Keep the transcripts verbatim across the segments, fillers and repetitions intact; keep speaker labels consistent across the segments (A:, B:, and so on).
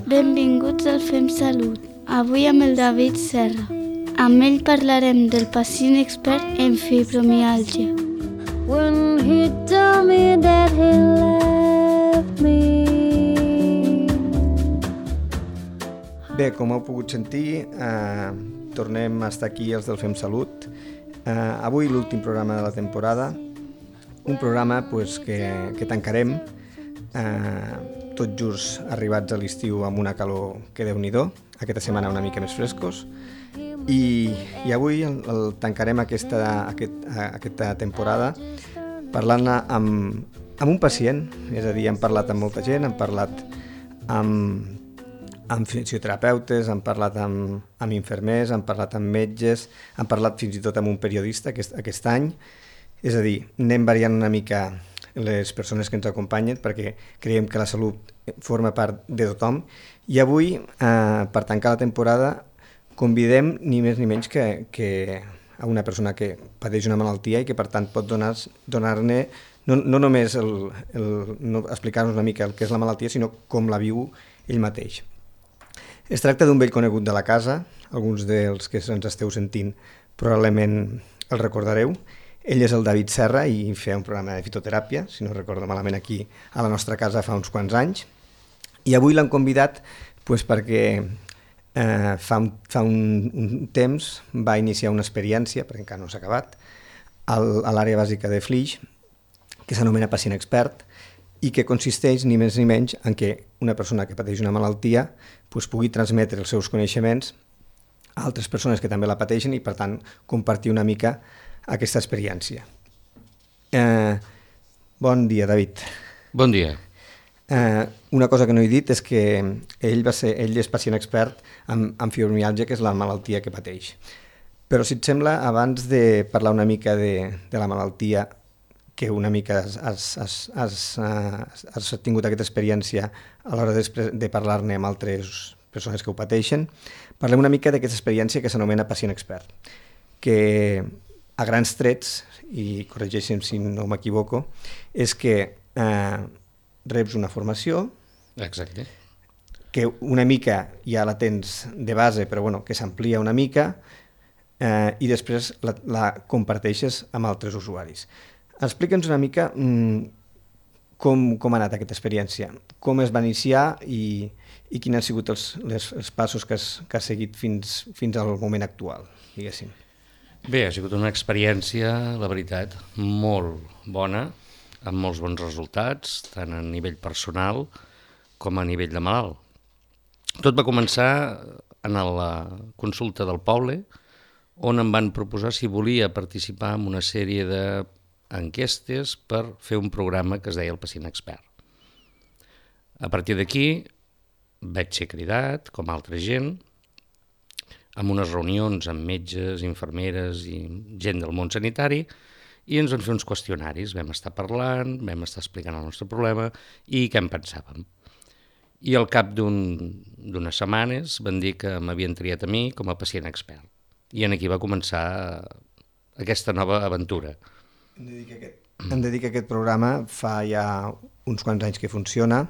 A: Benvinguts al Fem Salut. Avui amb el David Serra. Amb ell parlarem del pacient expert en fibromiàlgia.
B: When he told me that he left me.
C: Bé, com heu pogut sentir, eh, tornem a estar aquí els del Fem Salut. Eh, avui l'últim programa de la temporada, un programa pues, que, que tancarem eh, tot just arribats a l'estiu amb una calor que Déu-n'hi-do, aquesta setmana una mica més frescos, i, i avui el, el tancarem aquesta, aquest, aquesta temporada parlant amb, amb un pacient, és a dir, hem parlat amb molta gent, hem parlat amb, amb fisioterapeutes, hem parlat amb, amb infermers, hem parlat amb metges, hem parlat fins i tot amb un periodista aquest, aquest any, és a dir, anem variant una mica les persones que ens acompanyen perquè creiem que la salut forma part de tothom i avui, eh, per tancar la temporada, convidem ni més ni menys que, que a una persona que pateix una malaltia i que per tant pot donar, donar-ne no, no només el, el, no, explicar-nos una mica el que és la malaltia, sinó com la viu ell mateix. Es tracta d'un vell conegut de la casa, alguns dels que ens esteu sentint probablement el recordareu. Ell és el David Serra i feia un programa de fitoteràpia, si no recordo malament, aquí a la nostra casa fa uns quants anys. I avui l'han convidat pues, perquè eh, fa, un, fa un, un temps va iniciar una experiència, perquè encara no s'ha acabat, al, a l'àrea bàsica de Flix, que s'anomena pacient expert, i que consisteix ni més ni menys en que una persona que pateix una malaltia pues, pugui transmetre els seus coneixements a altres persones que també la pateixen i, per tant, compartir una mica aquesta experiència. Eh, bon dia, David.
D: Bon dia.
C: Eh, una cosa que no he dit és que ell, va ser, ell és pacient expert en, en fibromiàlgia, que és la malaltia que pateix. Però, si et sembla, abans de parlar una mica de, de la malaltia, que una mica has, has, has, has, has tingut aquesta experiència a l'hora de, de parlar-ne amb altres persones que ho pateixen, parlem una mica d'aquesta experiència que s'anomena pacient expert, que a grans trets, i corregeixen si no m'equivoco, és que eh, reps una formació.
D: Exacte.
C: Que una mica ja la tens de base, però bueno, que s'amplia una mica eh, i després la, la comparteixes amb altres usuaris. Explica'ns una mica mm, com, com ha anat aquesta experiència, com es va iniciar i, i quins han sigut els, les, els passos que has, que has seguit fins, fins al moment actual, diguéssim.
D: Bé, ha sigut una experiència, la veritat, molt bona, amb molts bons resultats, tant a nivell personal com a nivell de malalt. Tot va començar en la consulta del poble, on em van proposar si volia participar en una sèrie d'enquestes per fer un programa que es deia el pacient expert. A partir d'aquí vaig ser cridat, com altra gent, amb unes reunions amb metges, infermeres i gent del món sanitari, i ens van fer uns qüestionaris. Vam estar parlant, vam estar explicant el nostre problema i què en pensàvem. I al cap d'unes un, setmanes van dir que m'havien triat a mi com a pacient expert. I en aquí va començar aquesta nova aventura.
C: Hem de dir que aquest, hem de dir que aquest programa fa ja uns quants anys que funciona.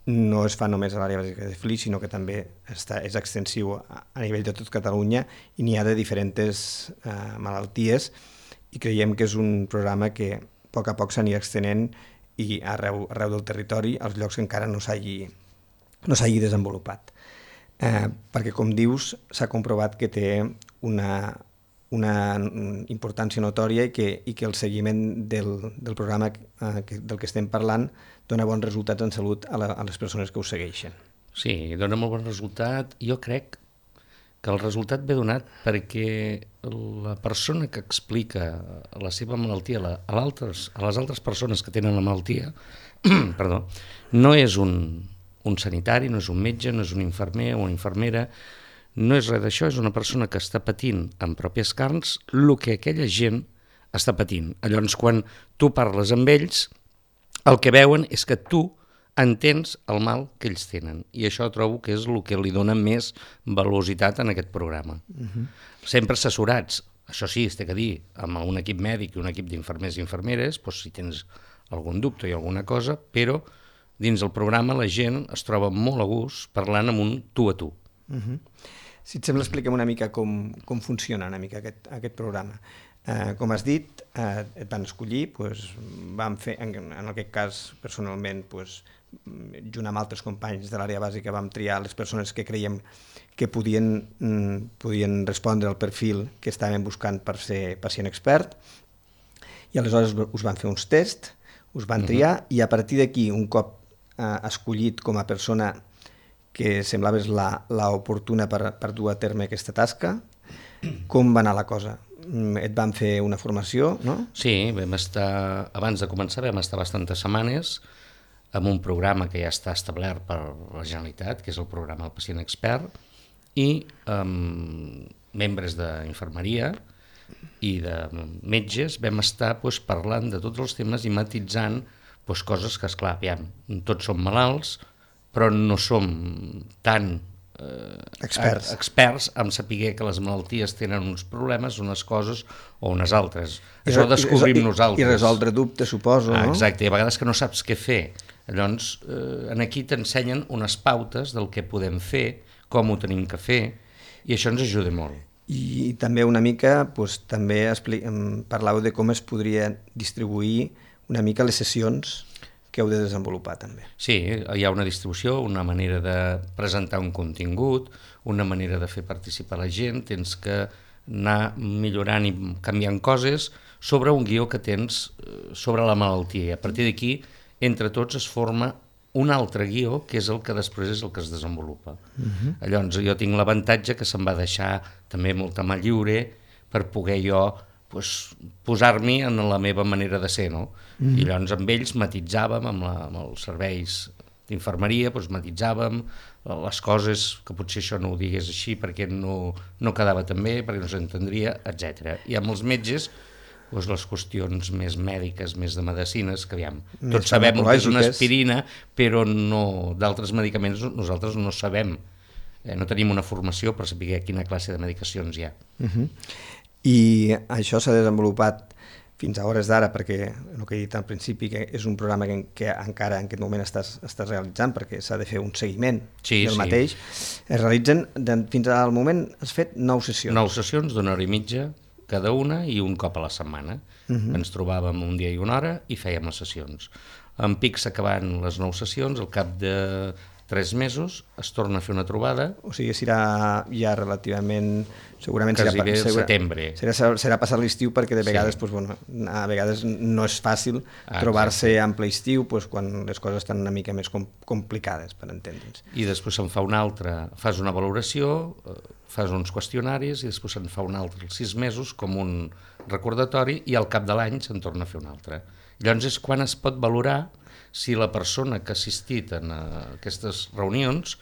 C: No es fa només a l'àrea bàsica de Flix, sinó que també està, és extensiu a, a nivell de tot Catalunya i n'hi ha de diferents eh, malalties i creiem que és un programa que a poc a poc s'anirà extenent i arreu, arreu del territori, als llocs que encara no s'hagi no s'hagi desenvolupat. Eh, perquè, com dius, s'ha comprovat que té una, una importància notòria i que, i que el seguiment del, del programa eh, que, del que estem parlant dona bons resultats en salut a, la, a les persones que ho segueixen.
D: Sí, dona molt bon resultat. Jo crec que el resultat ve donat perquè la persona que explica la seva malaltia a, a, a les altres persones que tenen la malaltia perdó, no és un, un sanitari, no és un metge, no és un infermer o una infermera, no és res d'això, és una persona que està patint en pròpies carns el que aquella gent està patint. Llavors, quan tu parles amb ells, el que veuen és que tu entens el mal que ells tenen. I això trobo que és el que li dona més velocitat en aquest programa. Uh-huh. Sempre assessorats, això sí, es té que dir, amb un equip mèdic i un equip d'infermers i infermeres, doncs si tens algun dubte i alguna cosa, però dins el programa la gent es troba molt a gust parlant amb un tu a tu.
C: Uh-huh. Si et sembla, expliquem una mica com, com funciona una mica aquest, aquest programa. Uh, com has dit, uh, et van escollir, pues, vam fer, en, en aquest cas, personalment, pues, junt amb altres companys de l'àrea bàsica, vam triar les persones que creiem que podien, mm, podien respondre al perfil que estàvem buscant per ser pacient expert, i aleshores us van fer uns tests, us van triar, uh-huh. i a partir d'aquí, un cop uh, escollit com a persona que semblava l'oportuna per, per dur a terme aquesta tasca, com va anar la cosa? Et van fer una formació, no?
D: Sí, vam estar, abans de començar vam estar bastantes setmanes amb un programa que ja està establert per la Generalitat, que és el programa del pacient expert, i amb membres d'infermeria i de metges vam estar doncs, parlant de tots els temes i matitzant doncs, coses que, esclar, aviam, tots som malalts, però no som tan eh,
C: experts.
D: experts en saber que les malalties tenen uns problemes, unes coses o unes altres. I Això ho descobrim
C: i,
D: nosaltres.
C: I resoldre dubtes, suposo,
D: ah,
C: no?
D: Exacte, i a vegades que no saps què fer. Llavors, eh, aquí t'ensenyen unes pautes del que podem fer, com ho tenim que fer, i això ens ajuda molt.
C: I, i també una mica, doncs, també parlàveu de com es podria distribuir una mica les sessions que heu de desenvolupar també.
D: Sí, hi ha una distribució, una manera de presentar un contingut, una manera de fer participar la gent, tens que anar millorant i canviant coses sobre un guió que tens sobre la malaltia. I a partir d'aquí, entre tots es forma un altre guió, que és el que després és el que es desenvolupa. Uh-huh. Llavors, jo tinc l'avantatge que se'm va deixar també molta mà lliure per poder jo pues, posar-m'hi en la meva manera de ser, no? Mm. I llavors amb ells matitzàvem, amb, la, amb els serveis d'infermeria, pues, matitzàvem les coses, que potser això no ho digués així perquè no, no quedava tan bé, perquè no s'entendria, etcètera. I amb els metges, pues, les qüestions més mèdiques, més de medicines, que aviam, més tots sabem que és una aspirina, però no, d'altres medicaments nosaltres no sabem, eh, no tenim una formació per saber quina classe de medicacions hi ha.
C: Uh-huh. I això s'ha desenvolupat fins a hores d'ara, perquè el que he dit al principi, que és un programa que, que encara en aquest moment estàs, estàs realitzant, perquè s'ha de fer un seguiment
D: sí,
C: del
D: sí.
C: mateix. Es realitzen, de, fins al moment has fet nou sessions.
D: Nou sessions d'una hora i mitja cada una i un cop a la setmana. Uh-huh. Ens trobàvem un dia i una hora i fèiem les sessions. En pic s'acaben les nou sessions, al cap de tres mesos es torna a fer una trobada.
C: O sigui, serà ja relativament... Segurament
D: quasi
C: serà,
D: bé
C: segura,
D: setembre.
C: Serà, serà passar l'estiu perquè de vegades, sí. pues, bueno, a vegades no és fàcil ah, trobar-se en ple estiu pues, quan les coses estan una mica més com, complicades, per entendre'ns.
D: I després se'n fa una altra, fas una valoració, fas uns qüestionaris i després se'n fa una altra als sis mesos com un recordatori i al cap de l'any se'n torna a fer una altra. Llavors és quan es pot valorar si la persona que ha assistit a aquestes reunions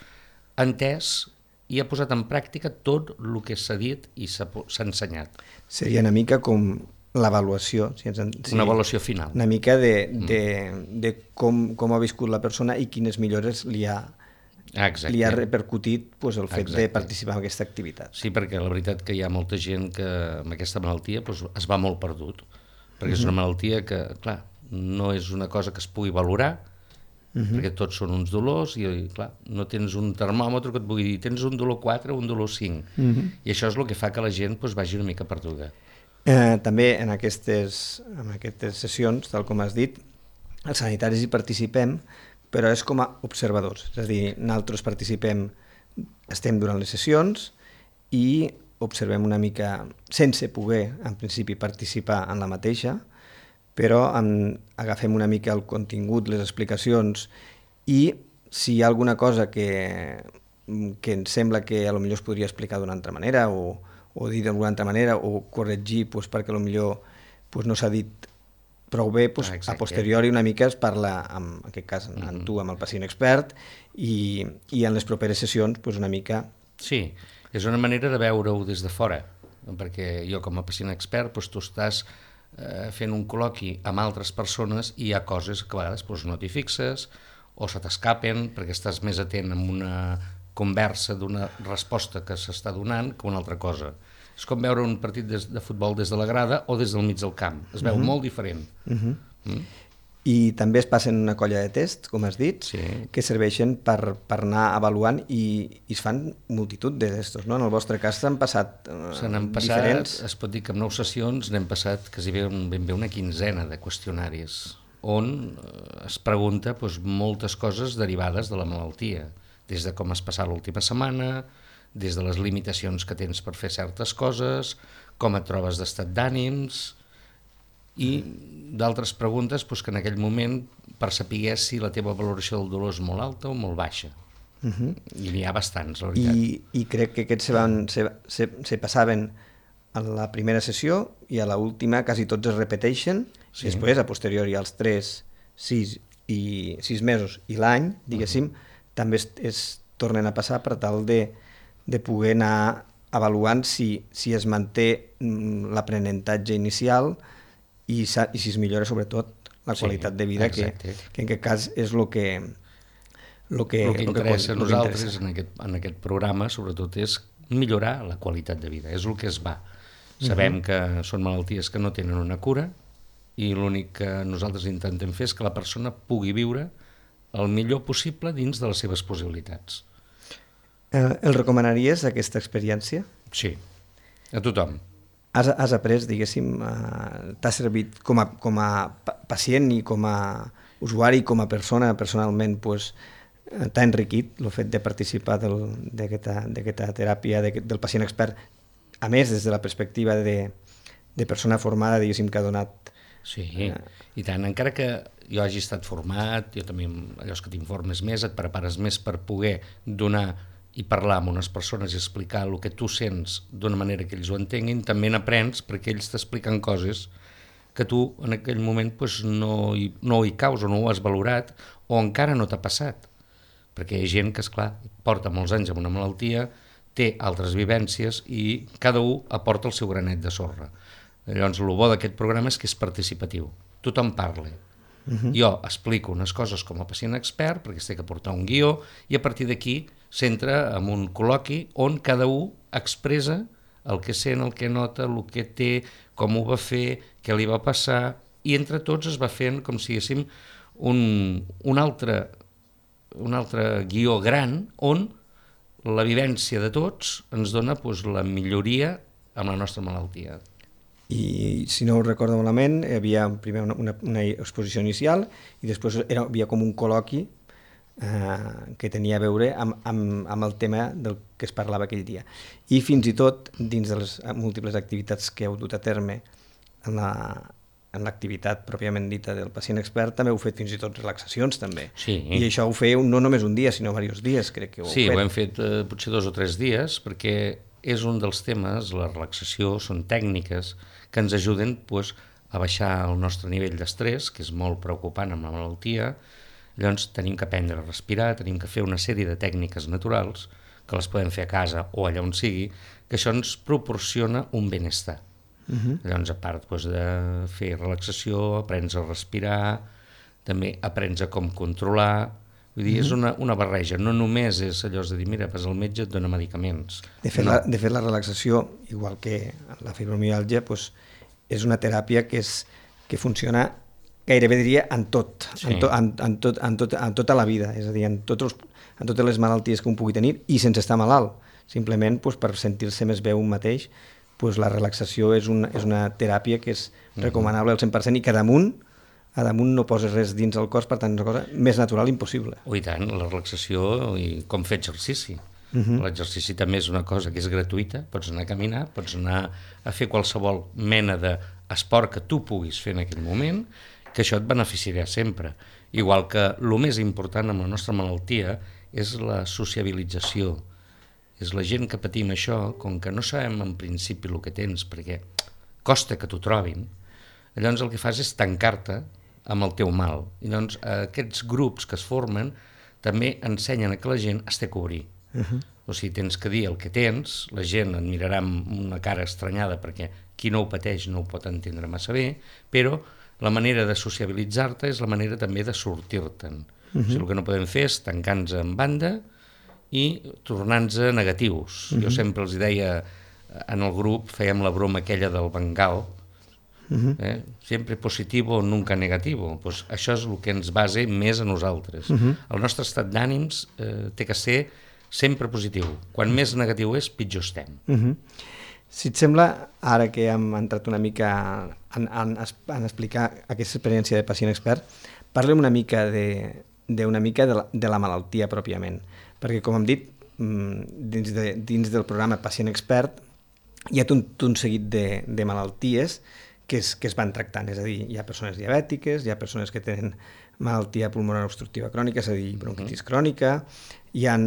D: ha entès i ha posat en pràctica tot el que s'ha dit i s'ha ensenyat.
C: Seria una mica com l'avaluació. Si ens, si,
D: una avaluació final.
C: Una mica de, de, de com, com ha viscut la persona i quines millores li ha, li ha repercutit pues, el fet Exacte. de participar en aquesta activitat.
D: Sí, perquè la veritat que hi ha molta gent que amb aquesta malaltia pues, es va molt perdut, perquè uh-huh. és una malaltia que, clar, no és una cosa que es pugui valorar, Uh-huh. perquè tots són uns dolors i, clar, no tens un termòmetre que et pugui dir tens un dolor quatre o un dolor cinc. Uh-huh. I això és el que fa que la gent pues, vagi una mica perduda.
C: Eh, també en aquestes, en aquestes sessions, tal com has dit, els sanitaris hi participem, però és com a observadors. És a dir, nosaltres participem, estem durant les sessions i observem una mica, sense poder, en principi, participar en la mateixa, però en, agafem una mica el contingut, les explicacions, i si hi ha alguna cosa que, que ens sembla que a lo millor es podria explicar d'una altra manera o, o dir d'alguna altra manera o corregir pues, perquè a lo millor pues, no s'ha dit prou bé, pues, ah, a posteriori una mica es parla, en aquest cas, en mm-hmm. tu, amb el pacient expert, i, i en les properes sessions pues, una mica...
D: Sí, és una manera de veure-ho des de fora, perquè jo com a pacient expert pues, tu estàs eh, fent un col·loqui amb altres persones i hi ha coses que a vegades pues, no t'hi fixes o se t'escapen perquè estàs més atent en una conversa d'una resposta que s'està donant que una altra cosa. És com veure un partit de, de futbol des de la grada o des del mig del camp. Es veu uh-huh. molt diferent. Uh-huh. mm?
C: i també es passen una colla de tests, com has dit,
D: Sí.
C: que serveixen per, per anar avaluant i, i es fan multitud d'estos, no? En el vostre cas s'han passat, eh,
D: Se n'han passat,
C: diferents...
D: es pot dir que en nou sessions n'hem passat quasi ben, ben bé una quinzena de qüestionaris, on eh, es pregunta doncs, moltes coses derivades de la malaltia, des de com has passat l'última setmana, des de les limitacions que tens per fer certes coses, com et trobes d'estat d'ànims, i d'altres preguntes doncs, que en aquell moment per saber si la teva valoració del dolor és molt alta o molt baixa. Uh-huh. I n'hi ha bastants, la veritat.
C: I, i crec que aquests se, van, se, se, se passaven a la primera sessió i a l'última quasi tots es repeteixen, sí. Després, a posteriori, als tres, sis i sis mesos i l'any, diguéssim, uh-huh. també es, es tornen a passar per tal de, de poder anar avaluant si, si es manté l'aprenentatge inicial i, i si es millora sobretot la qualitat sí, de vida, que, que en aquest cas és el que el que,
D: el que interessa a nosaltres
C: interessa.
D: En, aquest, en aquest programa sobretot és millorar la qualitat de vida, és el que es va. Sabem uh-huh. que són malalties que no tenen una cura i l'únic que nosaltres intentem fer és que la persona pugui viure el millor possible dins de les seves possibilitats.
C: Eh, el recomanaries, aquesta experiència?
D: Sí, a tothom.
C: Has, has après, diguéssim, eh, t'ha servit com a, com a pacient i com a usuari, com a persona, personalment, pues, t'ha enriquit el fet de participar d'aquesta teràpia de, del pacient expert, a més, des de la perspectiva de, de persona formada, diguéssim, que ha donat...
D: Sí, eh... i tant, encara que jo hagi estat format, jo també, allò que t'informes més, et prepares més per poder donar i parlar amb unes persones i explicar el que tu sents d'una manera que ells ho entenguin, també n'aprens perquè ells t'expliquen coses que tu en aquell moment pues, no, hi, no hi caus o no ho has valorat o encara no t'ha passat. Perquè hi ha gent que, esclar, porta molts anys amb una malaltia, té altres vivències i cada un aporta el seu granet de sorra. Llavors, el bo d'aquest programa és que és participatiu. Tothom parla. Uh-huh. Jo explico unes coses com a pacient expert perquè es té que portar un guió i a partir d'aquí s'entra en un col·loqui on cada un expressa el que sent, el que nota, el que té, com ho va fer, què li va passar, i entre tots es va fent com si diguéssim un, un, altre, un altre guió gran on la vivència de tots ens dona doncs, la milloria amb la nostra malaltia.
C: I si no ho recordo malament, hi havia primer una, una, una exposició inicial i després era, havia com un col·loqui eh, que tenia a veure amb, amb, amb el tema del que es parlava aquell dia. I fins i tot, dins de les múltiples activitats que heu dut a terme en la, en l'activitat pròpiament dita del pacient expert, també heu fet fins i tot relaxacions també.
D: Sí.
C: I això ho fèieu no només un dia, sinó diversos dies, crec que ho heu
D: sí,
C: fet.
D: Sí, ho hem fet eh, potser dos o tres dies, perquè és un dels temes, la relaxació, són tècniques que ens ajuden pues, a baixar el nostre nivell d'estrès, que és molt preocupant amb la malaltia. Llavors tenim que aprendre a respirar, tenim que fer una sèrie de tècniques naturals, que les podem fer a casa o allà on sigui, que això ens proporciona un benestar. Uh-huh. Llavors, a part pues, de fer relaxació, aprens a respirar, també aprens a com controlar. Vull dir, uh-huh. és una, una barreja, no només és allò de dir, mira, vas al metge, et dona medicaments.
C: De fet,
D: no.
C: la, de fet la relaxació, igual que la fibromialgia, pues, és una teràpia que, és, que funciona gairebé diria en tot, sí. en, to, en, en, tot, en, tot, en tota la vida, és a dir, en, tots els, en totes les malalties que un pugui tenir i sense estar malalt, simplement pues, per sentir-se més bé un mateix, pues, la relaxació és una, és una teràpia que és recomanable al cent per cent i que damunt a damunt no poses res dins el cos, per tant és una cosa més natural impossible.
D: Oh, i tant, la relaxació i com fer exercici.
C: Uh-huh.
D: L'exercici també és una cosa que és gratuïta, pots anar a caminar, pots anar a fer qualsevol mena d'esport que tu puguis fer en aquell moment, que això et beneficiarà sempre. Igual que el més important amb la nostra malaltia és la sociabilització. És la gent que patim això, com que no sabem en principi el que tens, perquè costa que t'ho trobin, llavors el que fas és tancar-te amb el teu mal. I doncs aquests grups que es formen també ensenyen a que la gent es té que obrir. Uh-huh. O sigui, tens que dir el que tens, la gent et mirarà amb una cara estranyada perquè qui no ho pateix no ho pot entendre massa bé, però la manera de sociabilitzar-te és la manera també de sortir-te'n. Uh-huh. O sigui, el que no podem fer és tancar-nos en banda i tornar-nos negatius. Uh-huh. Jo sempre els deia, en el grup fèiem la broma aquella del Bengal, Uh-huh. Eh? Sempre positivo, nunca negativo. Pues això és el que ens base més a nosaltres. Uh-huh. El nostre estat d'ànims eh, té que ser sempre positiu. Quan més negatiu és, pitjor estem.
C: Uh-huh. Si et sembla, ara que hem entrat una mica en, en, en explicar aquesta experiència de pacient expert, parlem una mica de, de, una mica de, la, de la malaltia pròpiament. Perquè, com hem dit, dins, de, dins del programa Pacient Expert hi ha tot un seguit de, de malalties que es, que es van tractant. És a dir, hi ha persones diabètiques, hi ha persones que tenen malaltia pulmonar obstructiva crònica, és a dir, bronquitis uh-huh. crònica, hi ha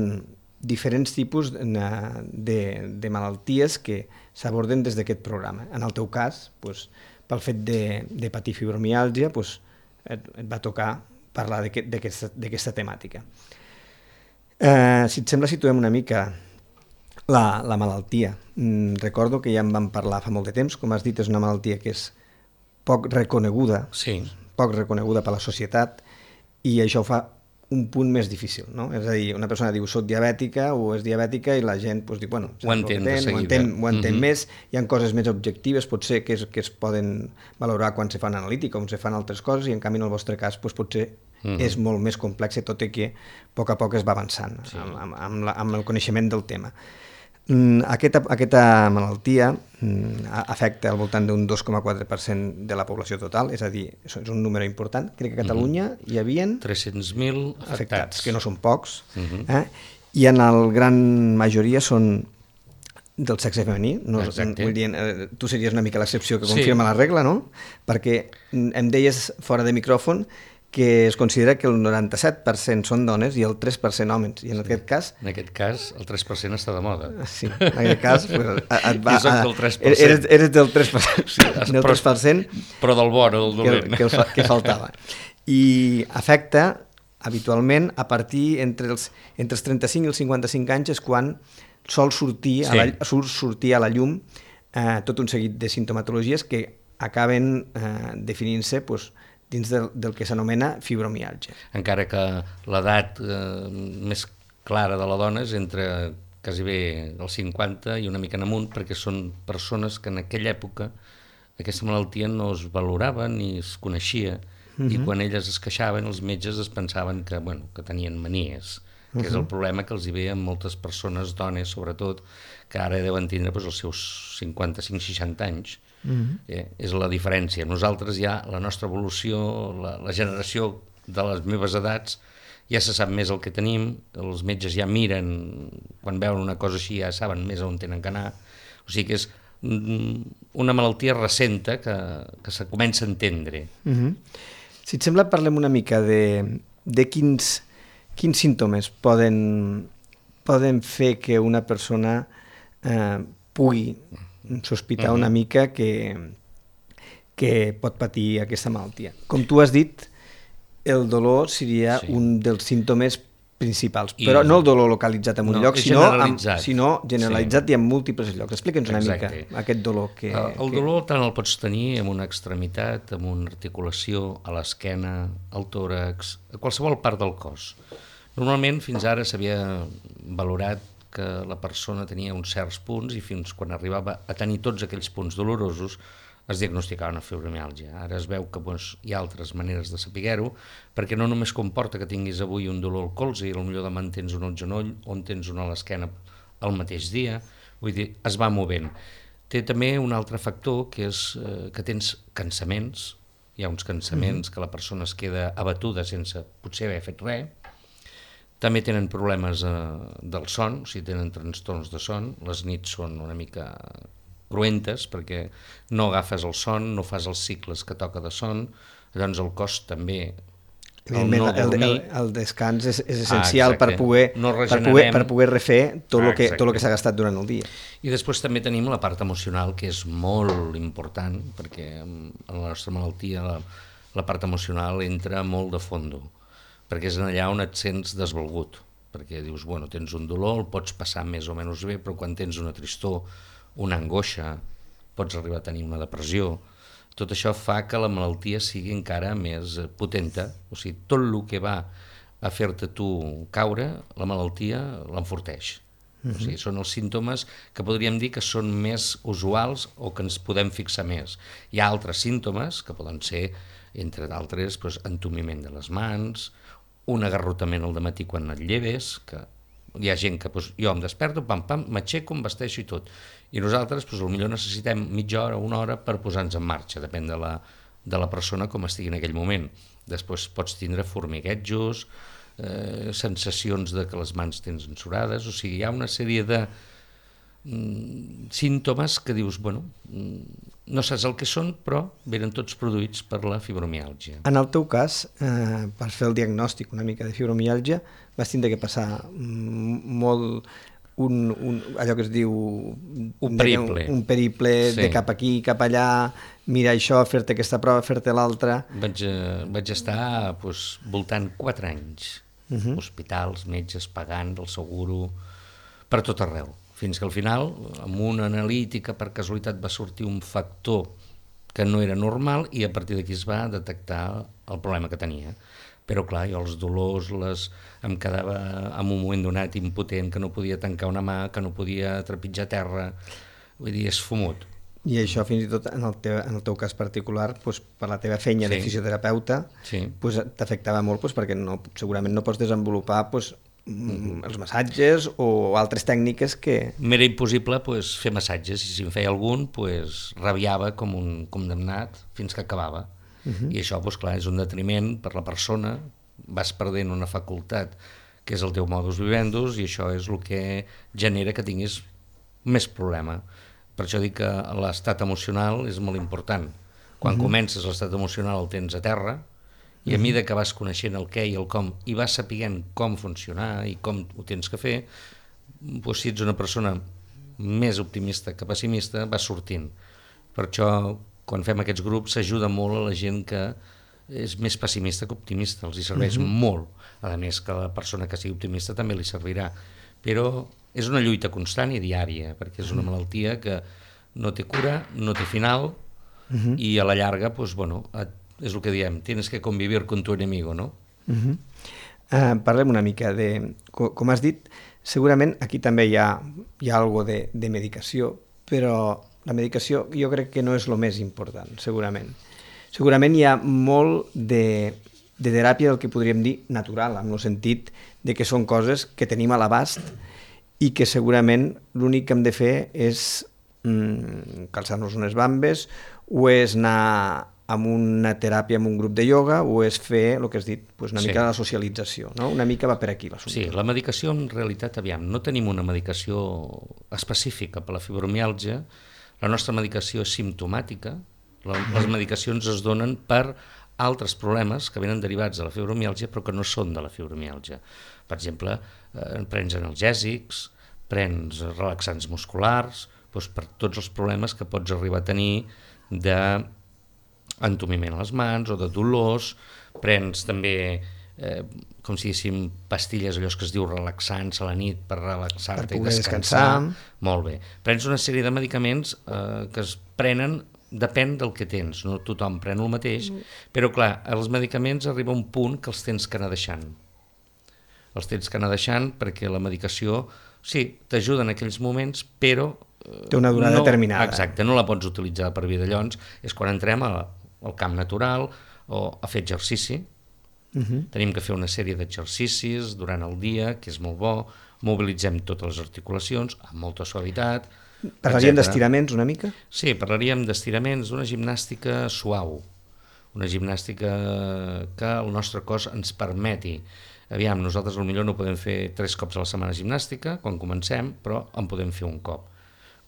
C: diferents tipus de, de, de malalties que s'aborden des d'aquest programa. En el teu cas, doncs, pel fet de, de patir fibromiàlgia, doncs, et, et va tocar parlar d'aquesta temàtica. Eh, si et sembla, situem una mica la, la malaltia. Mm, recordo que ja en vam parlar fa molt de temps, com has dit, és una malaltia que és poc reconeguda,
D: sí.
C: poc reconeguda per la societat, i això ho fa un punt més difícil, no? És a dir, una persona diu soc diabètica o és diabètica i la gent doncs, diu, bueno,
D: ho entén de seguida.
C: Ho entén, ho entén
D: mm-hmm.
C: més, hi ha coses més objectives, potser que es, que es poden valorar quan se fan analítica, com se fan altres coses, i en canvi en el vostre cas doncs, potser mm-hmm. és molt més complex, tot i que a poc a poc es va avançant sí. amb, amb, amb, la, amb el coneixement del tema. Aquesta, aquesta malaltia afecta al voltant d'un dos coma quatre per cent de la població total, és a dir, és un número important. Crec que a Catalunya hi havia
D: tres-cents mil afectats.
C: afectats, que no són pocs,
D: uh-huh.
C: eh? I en el gran majoria són del sexe femení. No, vull dir, tu series una mica l'excepció que confirma sí. la regla, no? Perquè em deies fora de micròfon que es considera que el noranta-set per cent són dones i el tres per cent homes, i en sí. aquest cas...
D: En aquest cas, el tres per cent està de moda.
C: Sí, en aquest cas... Pues, et va,
D: I soc del tres per cent.
C: Eres, eres del tres per cent, sí, del
D: però,
C: tres per cent
D: però del bo, no del dolent.
C: Que, que, que faltava. I afecta, habitualment, a partir entre els, entre els trenta-cinc i els cinquanta-cinc anys és quan sol sortir, sí. a, la, surt sortir a la llum eh, tot un seguit de sintomatologies que acaben eh, definint-se pues, dins del, del que s'anomena fibromiàlgia.
D: Encara que l'edat eh, més clara de la dona és entre quasi bé els cinquanta i una mica en amunt, perquè són persones que en aquella època aquesta malaltia no es valorava ni es coneixia, uh-huh. i quan elles es queixaven, els metges es pensaven que, bueno, que tenien manies, que uh-huh. és el problema que els hi ve a moltes persones, dones sobretot, que ara deuen tindre doncs, els seus cinquanta-cinc seixanta anys. Uh-huh. Eh, és la diferència. Nosaltres ja, la nostra evolució, la, la generació de les meves edats, ja se sap més el que tenim, els metges ja miren, quan veuen una cosa així ja saben més on tenen que anar, o sigui que és una malaltia recenta que, que se comença a entendre.
C: Uh-huh. Si et sembla, parlem una mica de, de quins, quins símptomes poden, poden fer que una persona eh, pugui sospitar uh-huh. una mica que, que pot patir aquesta malaltia. Com tu has dit, el dolor seria sí. un dels símptomes principals, I però no el dolor localitzat en un no, lloc, sinó generalitzat. Amb, sinó generalitzat sí. i en múltiples llocs. Explica'ns una Exacte. mica aquest dolor. Que,
D: el el
C: que...
D: dolor tant el pots tenir en una extremitat, en una articulació, a l'esquena, al tòrax, a qualsevol part del cos. Normalment fins ara s'havia valorat que la persona tenia uns certs punts i fins quan arribava a tenir tots aquells punts dolorosos es diagnosticava una fibromiàlgia. Ara es veu que doncs, hi ha altres maneres de saber-ho, perquè no només comporta que tinguis avui un dolor al colze i potser demà en tens un al genoll o en tens un a l'esquena el mateix dia, vull dir, es va movent. Té també un altre factor que és eh, que tens cansaments, hi ha uns cansaments mm-hmm. que la persona es queda abatuda sense potser haver fet res. També tenen problemes eh, del son, o sigui, tenen trastorns de son, les nits són una mica cruentes perquè no agafes el son, no fas els cicles que toca de son, llavors el cos també, el no dormir...
C: El, el, el descans és, és essencial ah, per, poder, no per, poder, per poder refer tot el ah, que, tot el que s'ha gastat durant el dia.
D: I després també tenim la part emocional, que és molt important, perquè en la nostra malaltia la, la part emocional entra molt de fondo, perquè és allà on et sents desvalgut, perquè dius, bueno, tens un dolor, el pots passar més o menys bé, però quan tens una tristor, una angoixa, pots arribar a tenir una depressió, tot això fa que la malaltia sigui encara més potenta, o sigui, tot el que va a fer-te tu caure, la malaltia l'enforteix. Uh-huh. O sigui, són els símptomes que podríem dir que són més usuals o que ens podem fixar més. Hi ha altres símptomes que poden ser, entre d'altres, doncs, entumiment de les mans, un agarrotament al dematí quan et lleves, que hi ha gent que doncs, jo em desperto, pam, pam, m'aixeco, em vesteixo i tot. I nosaltres doncs, potser necessitem mitja hora o una hora per posar-nos en marxa, depèn de la, de la persona com estigui en aquell moment. Després pots tindre formiguetjos, eh, sensacions de que les mans tens ensorades, o sigui, hi ha una sèrie de mm, símptomes que dius, bueno, no saps el que són, però venen tots produïts per la fibromiàlgia.
C: En el teu cas, eh, per fer el diagnòstic una mica de fibromiàlgia, vas tindre que passar molt un, un, allò que es diu...
D: Un periple.
C: Un, un periple
D: sí.
C: de cap aquí, cap allà, mirar això, fer-te aquesta prova, fer-te l'altra...
D: Vaig, eh, vaig estar doncs, voltant quatre anys. Uh-huh. Hospitals, metges, pagant el seguro, per tot arreu. Fins que al final, amb una analítica, per casualitat va sortir un factor que no era normal i a partir d'aquí es va detectar el problema que tenia. Però clar, jo els dolors, les... em quedava en un moment donat impotent, que no podia tancar una mà, que no podia trepitjar terra, vull dir, és fumut.
C: I això fins i tot en el teu, en el teu cas particular, doncs, per la teva feina sí. de fisioterapeuta,
D: sí.
C: doncs, t'afectava molt doncs, perquè no, segurament no pots desenvolupar doncs, mm. els massatges o altres tècniques que...
D: M'era impossible doncs, fer massatges, i si en feia algun doncs, rabiava com un condemnat fins que acabava. Uh-huh. I això doncs, clar, és un detriment per la persona, vas perdent una facultat que és el teu modus vivendus i això és el que genera que tinguis més problema. Per això dic que l'estat emocional és molt important. Quan uh-huh. comences l'estat emocional el tens a terra i a mesura que vas coneixent el què i el com i vas sapient com funcionar i com ho tens que fer, doncs, si ets una persona més optimista que pessimista, vas sortint. Per això, quan fem aquests grups, s'ajuda molt a la gent que és més pessimista que optimista, els hi serveix uh-huh. molt. A més que la persona que sigui optimista també li servirà. Però és una lluita constant i diària, perquè és una malaltia que no té cura, no té final, uh-huh. i a la llarga, doncs, bueno, és el que diem, tienes que convivir con tu enemigo, no?
C: Uh-huh. Uh, parlem una mica de... Com, com has dit, segurament aquí també hi ha, hi ha algo de, de medicació, però la medicació jo crec que no és el més important, segurament. Segurament hi ha molt de, de teràpia del que podríem dir natural, en el sentit de que són coses que tenim a l'abast i que segurament l'únic que hem de fer és mm, calçar-nos unes bambes o és anar amb una teràpia, amb un grup de ioga, o és fer, el que has dit, pues una sí. mica la socialització, no? Una mica va per aquí l'assumpte.
D: Sí, la medicació en realitat, aviam, no tenim una medicació específica per la fibromiàlgia, la nostra medicació és simptomàtica, les medicacions es donen per altres problemes que venen derivats de la fibromiàlgia però que no són de la fibromiàlgia. Per exemple, eh, prens analgèsics, prens relaxants musculars, doncs per tots els problemes que pots arribar a tenir d'entumiment a les mans o de dolors, prens també, eh, com si diguéssim, pastilles, allò que es diu relaxants a la nit per relaxar-te i descansar. descansar. Molt bé. Prens una sèrie de medicaments eh, que es prenen, depèn del que tens, no tothom pren el mateix, però clar, els medicaments arriba a un punt que els tens que anar deixant. Els tens que anar deixant perquè la medicació, sí, t'ajuda en aquells moments, però...
C: Té una durada
D: no,
C: determinada.
D: Exacte, no la pots utilitzar per vida. Llavors, és quan entrem a, al camp natural o a fer exercici. Uh-huh. Tenim que fer una sèrie d'exercicis durant el dia, que és molt bo, mobilitzem totes les articulacions amb molta suavitat.
C: Parlaríem d'estiraments una mica?
D: Sí, parlaríem d'estiraments, d'una gimnàstica suau, una gimnàstica que el nostre cos ens permeti. Aviam, nosaltres potser no podem fer tres cops a la setmana gimnàstica quan comencem, però en podem fer un cop.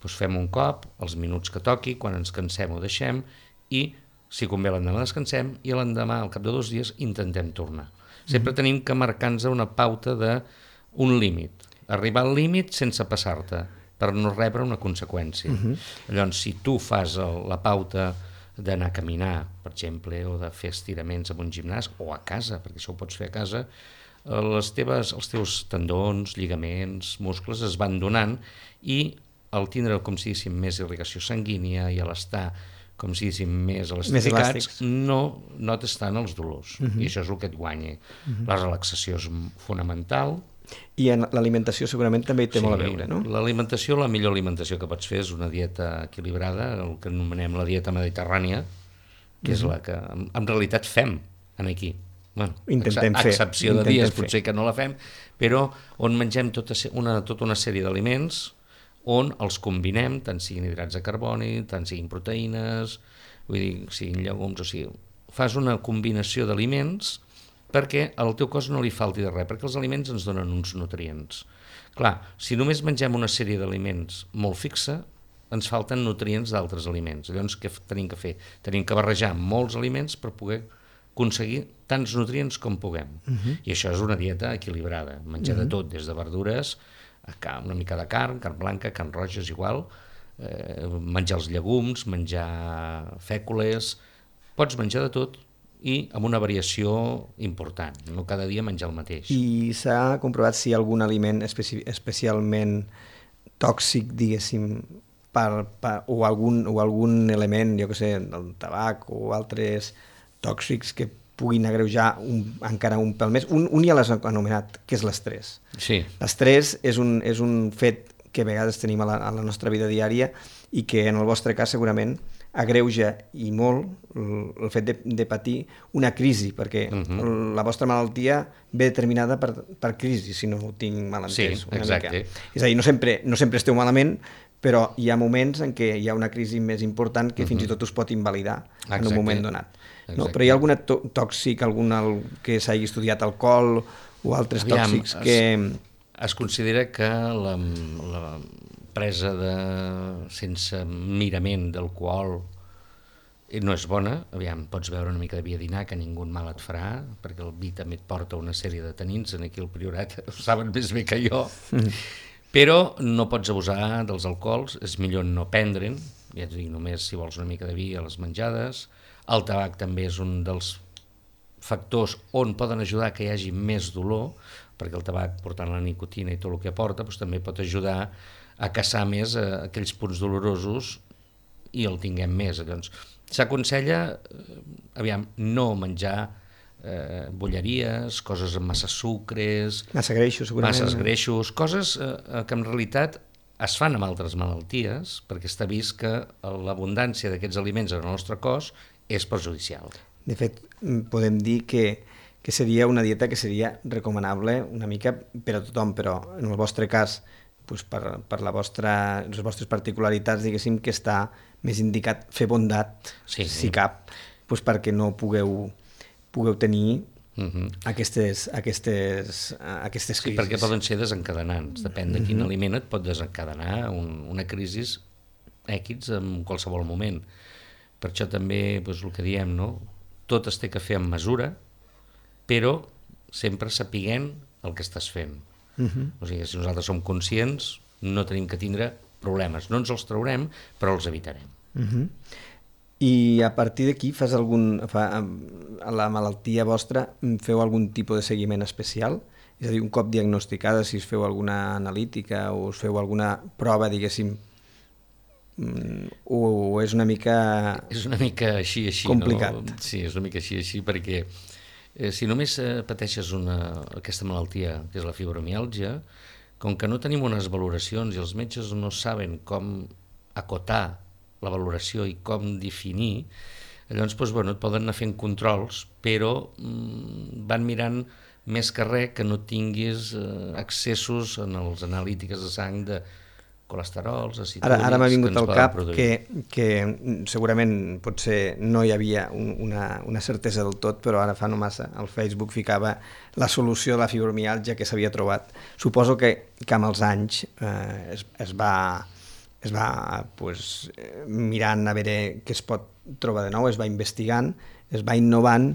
D: Doncs fem un cop, els minuts que toqui, quan ens cansem ho deixem i, si convé, l'endemà descansem i l'endemà, al cap de dos dies, intentem tornar. Sempre mm-hmm. tenim que marcar-nos una pauta d'un límit, arribar al límit sense passar-te, per no rebre una conseqüència. Uh-huh. Llavors, si tu fas el, la pauta d'anar a caminar, per exemple, o de fer estiraments en un gimnàs, o a casa, perquè això ho pots fer a casa, les teves, els teus tendons, lligaments, muscles es van donant i al tindre, com si diguéssim, més irrigació sanguínia i a l'estar, com si diguéssim, més elastificats, no, no t'estan els dolors. Uh-huh. I això és el que et guanya. Uh-huh. La relaxació és fonamental,
C: I en l'alimentació segurament també hi té sí, molt a veure, no?
D: L'alimentació, la millor alimentació que pots fer és una dieta equilibrada, el que anomenem la dieta mediterrània, que és mm-hmm. la que en, en realitat fem aquí. Bueno,
C: intentem
D: a excepció
C: fer.
D: de dies, potser que no la fem, però on mengem tota una, tota una sèrie d'aliments on els combinem, tant siguin hidrats de carboni, tant siguin proteïnes, vull dir, siguin llegums, o sigui, fas una combinació d'aliments perquè al teu cos no li falti de res, perquè els aliments ens donen uns nutrients. Clar, si només mengem una sèrie d'aliments molt fixa, ens falten nutrients d'altres aliments. Llavors, què tenim que fer? Tenim que barrejar molts aliments per poder aconseguir tants nutrients com puguem. Uh-huh. I això és una dieta equilibrada, menjar uh-huh. de tot, des de verdures, una mica de carn, carn blanca, carn roja, és igual, eh, menjar els llegums, menjar fècules, pots menjar de tot, i amb una variació important, no cada dia menjar el mateix.
C: I s'ha comprovat si hi ha algun aliment especi especialment tòxic, diguéssim, per, per, o, algun, o algun element, jo què sé, del tabac o altres tòxics que puguin agreujar un, encara un pèl més. Un, un ja l'has anomenat, que és l'estrès.
D: Sí.
C: L'estrès és un, és un fet que a vegades tenim a la, a la nostra vida diària i que en el vostre cas segurament agreuja i molt el fet de, de patir una crisi, perquè uh-huh. la vostra malaltia ve determinada per, per crisi, si no ho tinc mal entès.
D: Sí, exacte.
C: És a dir, no sempre, no sempre esteu malament, però hi ha moments en què hi ha una crisi més important que uh-huh. fins i tot us pot invalidar exacte. En un moment donat. No? Però hi ha algun tòxic, algun que s'hagi estudiat, alcohol o altres Aviam, tòxics que...
D: Es, es considera que la, la presa de, sense mirament d'alcohol no és bona. Aviam, pots beure una mica de vi a dinar, que ningú mal et farà, perquè el vi també et porta una sèrie de tanins, aquí al Priorat ho saben més bé que jo, mm. però no pots abusar dels alcohols, és millor no prendre'n, ja et dic, només si vols una mica de vi a les menjades. El tabac també és un dels factors on poden ajudar que hi hagi més dolor, perquè el tabac, portant la nicotina i tot el que aporta, doncs, també pot ajudar a caçar més eh, aquells punts dolorosos i el tinguem més. Llavors, s'aconsella, eh, aviam, no menjar eh, bolleries, coses amb massa sucres,
C: massa greixos, segurament.
D: Masses greixos, coses eh, que en realitat es fan amb altres malalties, perquè està vist que l'abundància d'aquests aliments en el nostre cos és perjudicial.
C: De fet, podem dir que, que seria una dieta que seria recomanable una mica per a tothom, però en el vostre cas, doncs per, per la vostra, les vostres particularitats, diguéssim que està més indicat fer bondat,
D: sí, sí.
C: si cap, doncs perquè no pugueu, pugueu tenir
D: uh-huh.
C: aquestes, aquestes, aquestes crisis.
D: Sí, perquè poden ser desencadenants, depèn de quin uh-huh. aliment et pot desencadenar un, una crisi X en qualsevol moment. Per això també, doncs, el que diem, no? Tot es té que fer amb mesura, però sempre sapiguent el que estàs fent. Uh-huh. O sigui, si nosaltres som conscients, no tenim que tindre problemes. No ens els traurem, però els evitarem.
C: Uh-huh. I a partir d'aquí, fas algun, fa, a la malaltia vostra, feu algun tipus de seguiment especial? És a dir, un cop diagnosticada, si us feu alguna analítica o us feu alguna prova, diguéssim, o és una mica
D: és una mica així, així,
C: complicat.
D: No? Sí, és una mica així, així, perquè eh, si només eh, pateixes una, aquesta malaltia, que és la fibromiàlgia, com que no tenim unes valoracions i els metges no saben com acotar la valoració i com definir, llavors doncs, bueno, et poden anar fent controls, però mm, van mirant més que res que no tinguis eh, accessos en els analítiques de sang de colesterols, acetúrics...
C: Ara, ara m'ha vingut al cap que, que segurament potser no hi havia un, una, una certesa del tot, però ara fa no massa al Facebook ficava la solució de la fibromiàlgia que s'havia trobat. Suposo que, que amb els anys eh, es, es va, es va pues, mirant a veure què es pot trobar de nou, es va investigant, es va innovant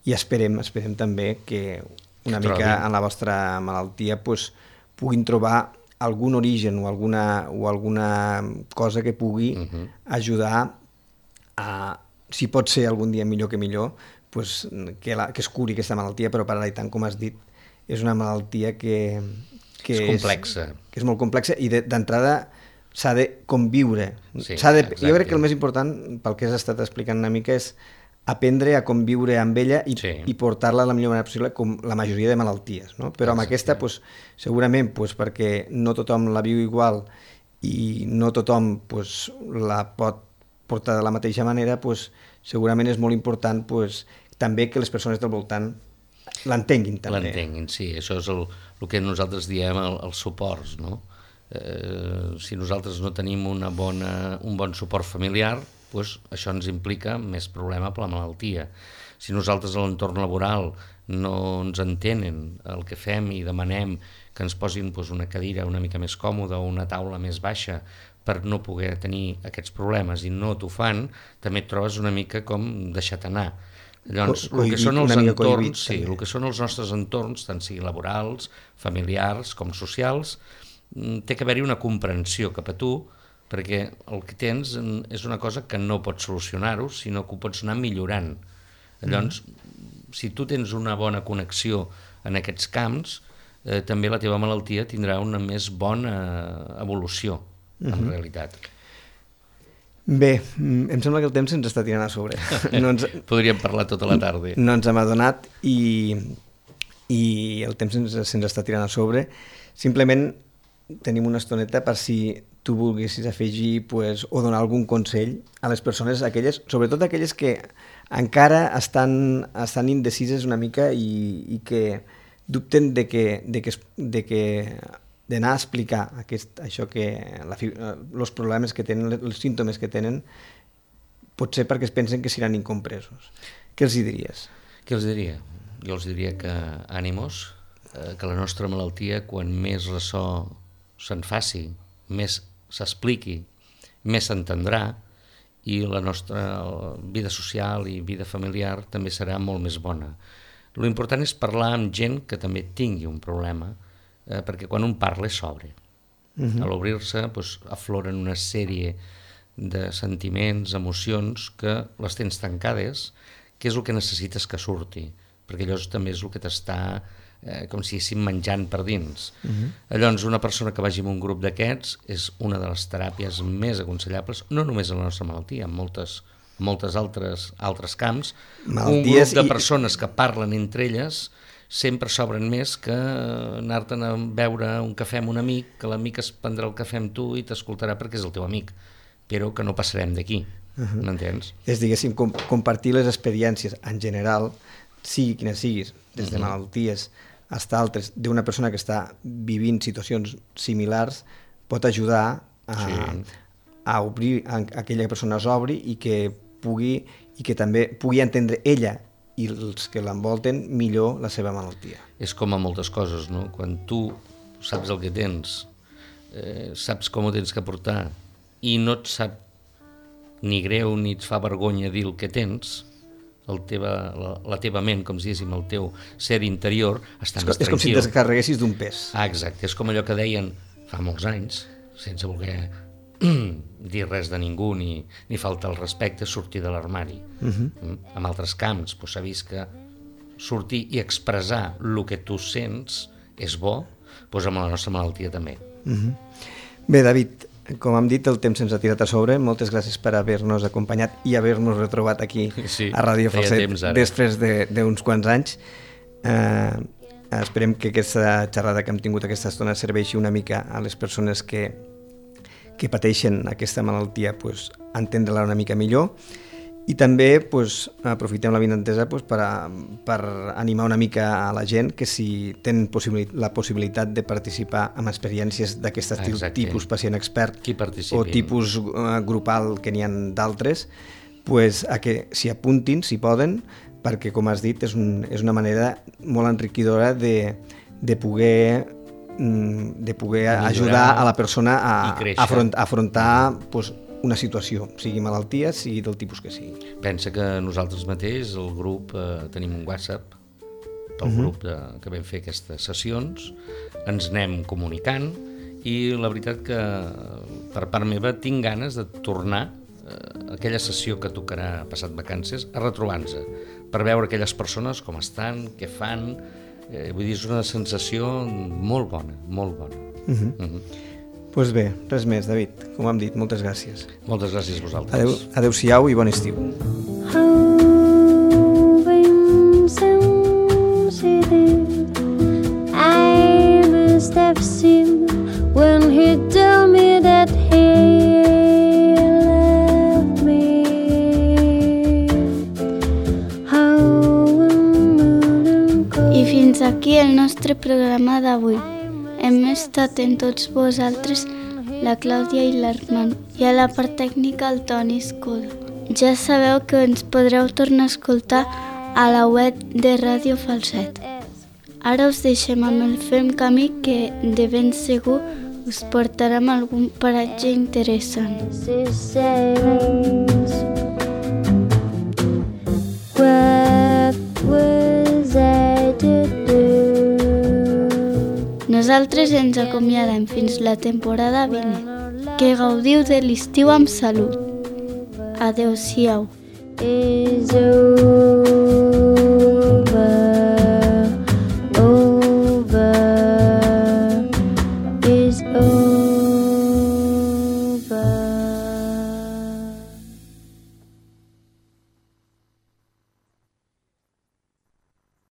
C: i esperem, esperem també que una que mica en la vostra malaltia pues, puguin trobar algun origen o alguna, o alguna cosa que pugui uh-huh. ajudar a, si pot ser algun dia millor que millor, pues, que, la, que es curi aquesta malaltia, però per ara i tant, com has dit, és una malaltia que, que
D: és complexa.
C: És, que és molt complexa i d'entrada s'ha de conviure.
D: Sí,
C: s'ha de, jo crec que el més important, pel que has estat explicant una mica, és aprendre a conviure amb ella i,
D: Sí.
C: i portar-la de la millor manera possible, com la majoria de malalties, no? Però amb aquesta, pues, segurament, pues, perquè no tothom la viu igual i no tothom pues, la pot portar de la mateixa manera, pues, segurament és molt important pues, també que les persones del voltant l'entenguin també.
D: L'entenguin, sí. Això és el, el que nosaltres diem el, els suports, no? Eh, si nosaltres no tenim una bona, un bon suport familiar, doncs això ens implica més problema per la malaltia. Si nosaltres a l'entorn laboral no ens entenen el que fem i demanem que ens posin doncs, una cadira una mica més còmoda o una taula més baixa per no poder tenir aquests problemes i no t'ho fan, també et trobes una mica com deixat anar. Llavors,
C: Co-
D: el que són els
C: una mica cohibit,
D: entorns, sí,
C: també.
D: el que són els nostres entorns, tant siguin laborals, familiars com socials, mm, té que haver-hi una comprensió cap a tu, perquè el que tens mm, és una cosa que no pots solucionar-ho, sinó que ho pots anar millorant. Llavors, mm. si tu tens una bona connexió en aquests camps, eh, també la teva malaltia tindrà una més bona evolució, en
C: Mhm.
D: realitat.
C: Bé, mm, em sembla que el temps ens està tirant a sobre. No ens,
D: Podríem parlar tota la tarda.
C: no ens hem adonat i, i el temps se'ns, se'ns està tirant a sobre. Simplement tenim una estoneta per si tu volguessis afegir pues, o donar algun consell a les persones, aquelles, sobretot aquelles que encara estan, estan indecises una mica i, i que dubten de que, de que, es- de que d'anar a explicar aquest, això que la, fi- eh, els problemes que tenen, els símptomes que tenen, potser perquè es pensen que seran incompresos. Què els hi diries?
D: Què els diria? Jo els diria que ànimos, eh, que la nostra malaltia, quan més ressò se'n faci, més s'expliqui, més s'entendrà i la nostra vida social i vida familiar també serà molt més bona. Lo important és parlar amb gent que també tingui un problema, eh, perquè quan un parla s'obre. Uh-huh. A l'obrir-se doncs, afloren una sèrie de sentiments, emocions que les tens tancades, que és el que necessites que surti, perquè allò també és el que t'està eh, com si estiguéssim menjant per dins. Uh-huh. Llavors, una persona que vagi en un grup d'aquests és una de les teràpies més aconsellables, no només en la nostra malaltia, en moltes, moltes altres, altres camps.
C: Malalties
D: un grup de
C: i-
D: persones que parlen entre elles sempre s'obren més que anar-te'n a beure un cafè amb un amic, que l'amic es prendrà el cafè amb tu i t'escoltarà perquè és el teu amic, però que no passarem d'aquí, uh-huh. m'entens?
C: És, diguéssim, com, compartir les experiències en general, sigui quines siguis, des de
D: Mhm.
C: malalties fins a altres, d'una persona que està vivint situacions similars, pot ajudar a,
D: Sí.
C: a obrir, a, a aquella persona s'obri i que pugui i que també pugui entendre ella i els que l'envolten millor la seva malaltia.
D: És com a moltes coses, no? Quan tu saps el que tens, eh, saps com ho tens que portar i no et sap ni greu ni et fa vergonya dir el que tens, el teva, la, la teva ment, com si diguéssim, el teu ser interior està
C: És,
D: més
C: co- és com si
D: tranquil.
C: et descarreguessis d'un pes.
D: Ah, exacte, és com allò que deien fa molts anys, sense voler dir res de ningú ni, ni faltar el respecte, sortir de l'armari. Uh-huh. Mm? En altres camps doncs, s'ha vist que sortir i expressar el que tu sents és bo, doncs amb la nostra malaltia també.
C: Uh-huh. Bé, David, com hem dit, el temps se'ns ha tirat a sobre. Moltes gràcies per haver-nos acompanyat i haver-nos retrobat aquí
D: Sí,
C: a Ràdio
D: feia
C: Falset
D: temps ara.
C: després de- d'uns quants anys. Eh, esperem que aquesta xerrada que hem tingut aquesta estona serveixi una mica a les persones que, que pateixen aquesta malaltia, pues, entendre-la una mica millor. I també pues, aprofitem la vinentesa pues, per, a, per animar una mica a la gent que si tenen possibili- la possibilitat de participar en experiències d'aquest estil,
D: Exacte.
C: tipus pacient expert
D: Qui participi.
C: o tipus uh, grupal que n'hi ha d'altres, pues, a que s'hi apuntin, si poden, perquè, com has dit, és, un, és una manera molt enriquidora de, de poder mm, de poder
D: Millorar
C: ajudar a la persona a,
D: i créixer.
C: a afront, a afrontar pues, una situació, sigui malaltia, sigui del tipus que sigui.
D: Pensa que nosaltres mateix, el grup, eh, tenim un WhatsApp del uh-huh. grup de, que vam fer aquestes sessions, ens anem comunicant i la veritat que per part meva tinc ganes de tornar eh, aquella sessió que tocarà passat vacances a retrobar-nos per veure aquelles persones com estan, què fan, eh, vull dir, és una sensació molt bona, molt bona.
C: Uh-huh.
D: Uh-huh.
C: Pues bé, res més, David. Com hem dit, moltes gràcies.
D: Moltes gràcies a vosaltres.
C: Adeu, adeu-siau i bon estiu.
B: How
A: nostre programa d'avui. Hem estat en tots vosaltres la Clàudia i l'Armand i a la part tècnica el Toni Escoda. Ja sabeu que ens podreu tornar a escoltar a la web de Ràdio Falset. Ara us deixem amb el Fem Camí, que de ben segur us portarem a algun paratge interessant.
B: What was I to do?
A: Nosaltres ens acomiadem fins la temporada vinent. Que gaudiu de l'estiu amb salut. Adéu-siau.
B: Is over.